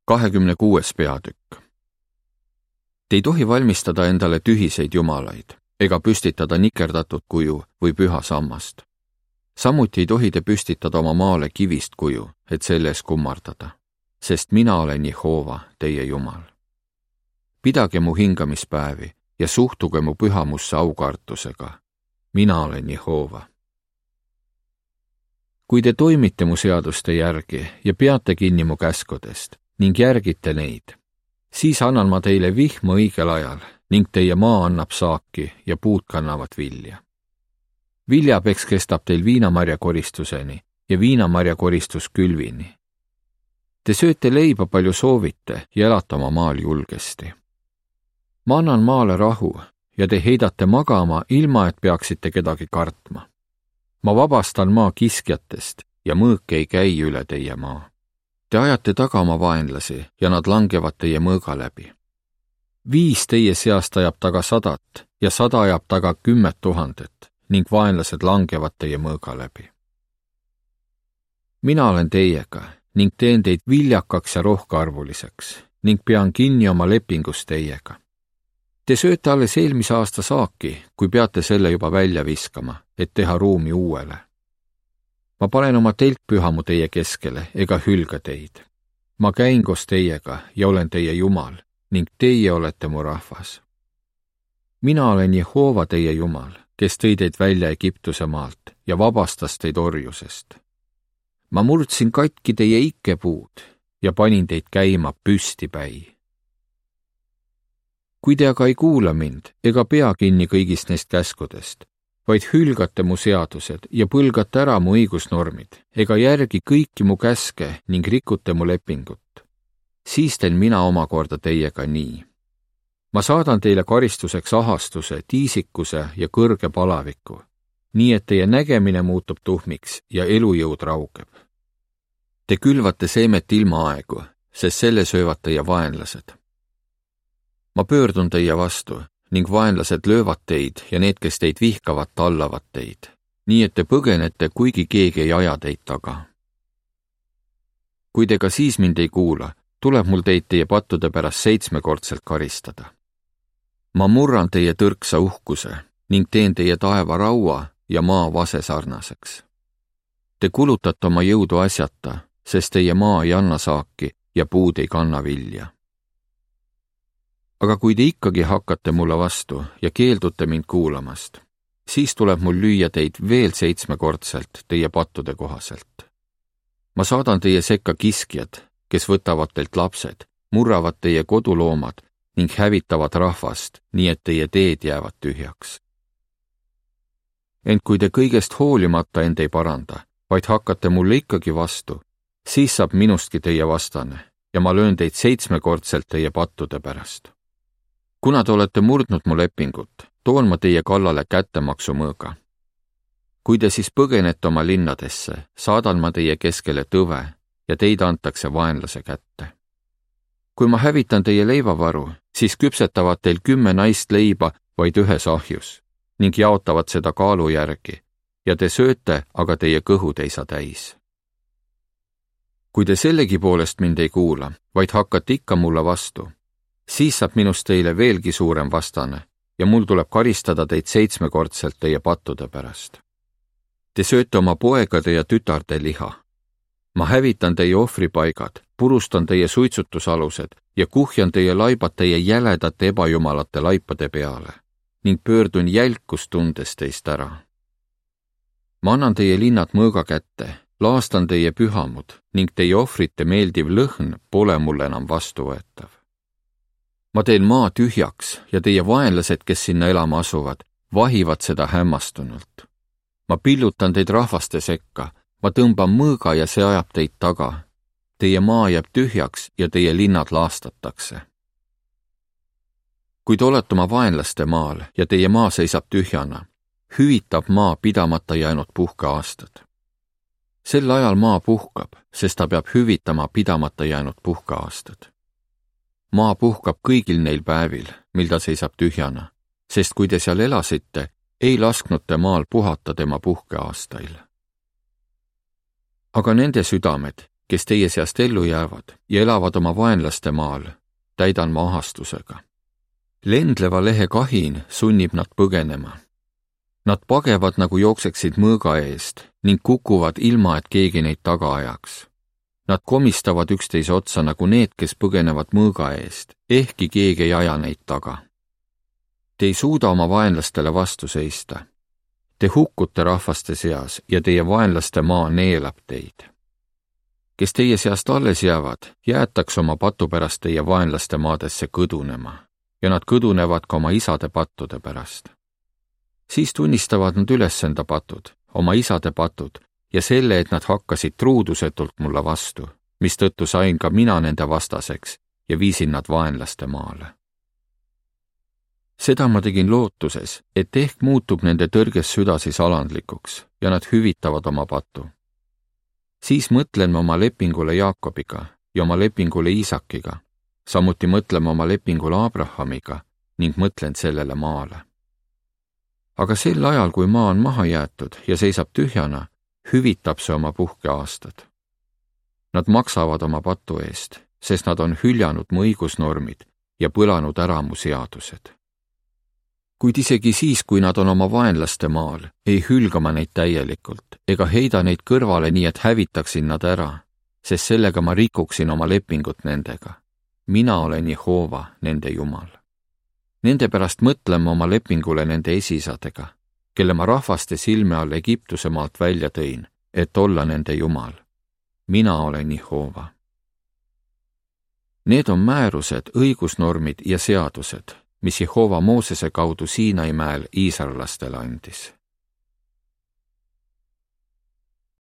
26. peatükk. Te ei tohi valmistada endale tühiseid jumalaid ega püstitada nikerdatud kuju või püha sammast. Samuti ei tohi te püstitada oma maale kivist kuju, et selle ees kummardada, sest mina olen Jehova, teie Jumal. Pidage mu hingamispäevi ja suhtuge mu pühamusse aukartusega. Mina olen Jehova. Kui te toimite mu seaduste järgi ja peate kinni mu käskudest ning järgite neid, siis annan ma teile vihma õigel ajal ning teie maa annab saaki ja puud kannavad vilja. Viljapeks kestab teil viinamarjakoristuseni ja viinamarjakoristus külvini. Te sööte leiba palju soovite ja elate oma maal julgesti. Ma annan maale rahu ja te heidate magama, ilma et peaksite kedagi kartma. Ma vabastan maa kiskjatest ja mõõk ei käi üle teie maa. Te ajate taga oma vaenlasi ja nad langevad teie mõõga läbi. 5 teie seast ajab taga 100 ja 100 ajab taga 10 000 ning vaenlased langevad teie mõõga läbi. Mina olen teiega ning teen teid viljakaks ja rohkearvuliseks ning pean kinni oma lepingust teiega. Te sööte alles eelmise aasta saaki, kui peate selle juba välja viskama, et teha ruumi uuele. Ma panen oma telkpühamu teie keskele ega hülga teid. Ma käin koos teiega ja olen teie Jumal ning teie olete mu rahvas. Mina olen Jehova teie Jumal, kes tõi teid välja Egiptuse maalt ja vabastas teid orjusest. Ma murdsin katki teie ikkepuud ja panin teid käima püstipäi. Kui te aga ei kuula mind ega pea kinni kõigist neist käskudest, vaid hülgate mu seadused ja põlgate ära mu õigusnormid ega järgi kõiki mu käske ning rikute mu lepingut, siis teen mina omakorda teiega nii. Ma saadan teile karistuseks ahastuse, tiisikuse ja kõrge palaviku, nii et teie nägemine muutub tuhmiks ja elujõud raugeb. Te külvate seemet ilma aegu, sest selle söövad teie vaenlased. Ma pöördun teie vastu ning vaenlased löövad teid ja need, kes teid vihkavad, tallavad teid, nii et te põgenete, kuigi keegi ei aja teid taga. Kui te ka siis mind ei kuula, tuleb mul teid teie pattude pärast 7-kordselt karistada. Ma murran teie tõrksa uhkuse ning teen teie taeva raua ja maa vase sarnaseks. Te kulutate oma jõudu asjata, sest teie maa ei anna saaki ja puud ei kanna vilja. Aga kui te ikkagi hakkate mulle vastu ja keeldute mind kuulamast, siis tuleb mul lüüa teid veel 7-kordselt teie pattude kohaselt. Ma saadan teie sekka kiskjad, kes võtavad teilt lapsed, murravad teie koduloomad ning hävitavad rahvast, nii et teie teed jäävad tühjaks. Ent kui te kõigest hoolimata end ei paranda, vaid hakkate mulle ikkagi vastu, siis saab minustki teie vastane ja ma löön teid 7-kordselt teie pattude pärast. Kuna te olete murdnud mu lepingut, toon ma teie kallale kättemaksu mõõga. Kui te siis põgenete oma linnadesse, saadan ma teie keskele tõve ja teid antakse vaenlase kätte. Kui ma hävitan teie leivavaru, siis küpsetavad teil 10 naist leiba vaid ühes ahjus ning jaotavad seda kaalu järgi ja te sööte, aga teie kõhud ei saa täis. Kui te sellegi poolest mind ei kuula, vaid hakkate ikka mulle vastu, siis saab minust teile veelgi suurem vastane ja mul tuleb karistada teid 7-kordselt teie pattude pärast. Te sööte oma poegade ja tütarde liha. Ma hävitan teie ohvripaigad, purustan teie suitsutusalused ja kuhjan teie laibad teie jäledate ebajumalate laipade peale ning pöördun jälkustundes teist ära. Ma annan teie linnad mõõga kätte, laastan teie pühamud ning teie ohvrite meeldiv lõhn pole mulle enam vastuvõetav. Ma teen maa tühjaks ja teie vaenlased, kes sinna elama asuvad, vahivad seda hämmastunult. Ma pillutan teid rahvaste sekka, ma tõmban mõõga ja see ajab teid taga. Teie maa jääb tühjaks ja teie linnad laastatakse. Kui te olete oma vaenlaste maal ja teie maa seisab tühjana, hüvitab maa pidamata jäänud puhkeaastad. Sel ajal maa puhkab, sest ta peab hüvitama pidamata jäänud puhkeaastad. Maa puhkab kõigil neil päevil, mil ta seisab tühjana, sest kui te seal elasite, ei lasknud te maal puhata tema puhkeaastail. Aga nende südamed, kes teie seast ellu jäävad ja elavad oma vaenlaste maal, täidan ma ahastusega. Lendleva lehe kahin sunnib nad põgenema. Nad pagevad, nagu jookseksid mõõga eest ning kukuvad ilma, et keegi neid taga ajaks. Nad komistavad üksteise otsa nagu need, kes põgenevad mõõga eest, ehkki keegi ei aja neid taga. Te ei suuda oma vaenlastele vastu seista. Te hukkute rahvaste seas ja teie vaenlaste maa neelab teid. Kes teie seast alles jäävad, jäetakse oma patu pärast teie vaenlaste maadesse kõdunema ja nad kõdunevad ka oma isade pattude pärast. Siis tunnistavad nad üles enda patud, oma isade patud ja selle, et nad hakkasid truudusetult mulle vastu, mistõttu sain ka mina nende vastaseks ja viisin nad vaenlaste maale. Seda ma tegin lootuses, et ehk muutub nende tõrges süda siis alandlikuks ja nad hüvitavad oma patu. Siis mõtlen ma oma lepingule Jaakobiga ja oma lepingule Iisakiga, samuti mõtleme oma lepingule Abrahamiga ning mõtlen sellele maale. Aga sel ajal, kui maa on maha jäetud ja seisab tühjana, hüvitab see oma puhkeaastad. Nad maksavad oma patu eest, sest nad on hüljanud mu õigusnormid ja põlanud ära mu seadused. Kuid isegi siis, kui nad on oma vaenlaste maal, ei hülga ma neid täielikult ega heida neid kõrvale nii, et hävitaksin nad ära, sest sellega ma rikuksin oma lepingut nendega. Mina olen Jehova, nende Jumal. Nende pärast mõtlen ma oma lepingule nende esisadega, kelle ma rahvaste silme all Egiptuse maalt välja tõin, et olla nende Jumal. Mina olen Jehova. Need on määrused, õigusnormid ja seadused, mis Jehova Moosese kaudu Siinai mäel iisraellastele andis.